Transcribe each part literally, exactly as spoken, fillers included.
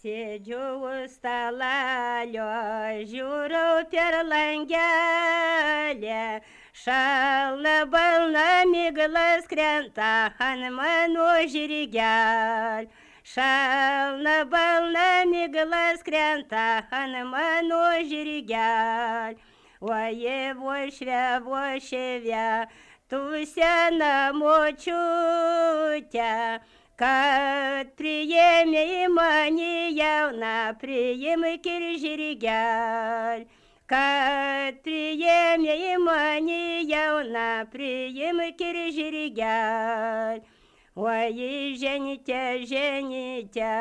Sėdžiu už stalelio, žiūriu per langelį, šalna balna miglas krenta ant mano žirgelio. Šalna balna miglas krenta ant mano žirgelio. Oje, vošve, vošve, tu sena močiute, kad priėmė mane jauną, priimk ir žirgelį. Kad priėmė mane jauną, priimk ir žirgelį. Oi, ženite, ženite,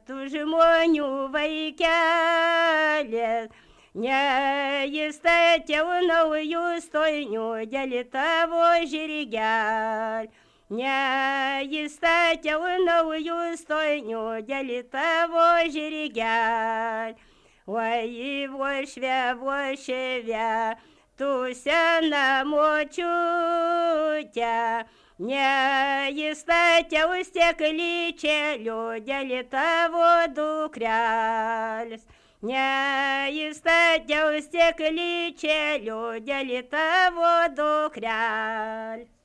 tu žmonių vaikelis, neįstatėu naujų stojinių dėl tavo žirgelį. Neįstatėu naujų stojinių dėl tavo žirgelį. Oi, vošve, vošve, tu sena močiute, neįstatėu steklyčėlių dėl tavo dukrelis. Neįstatėu steklyčėlių dėl tavo dukrelis.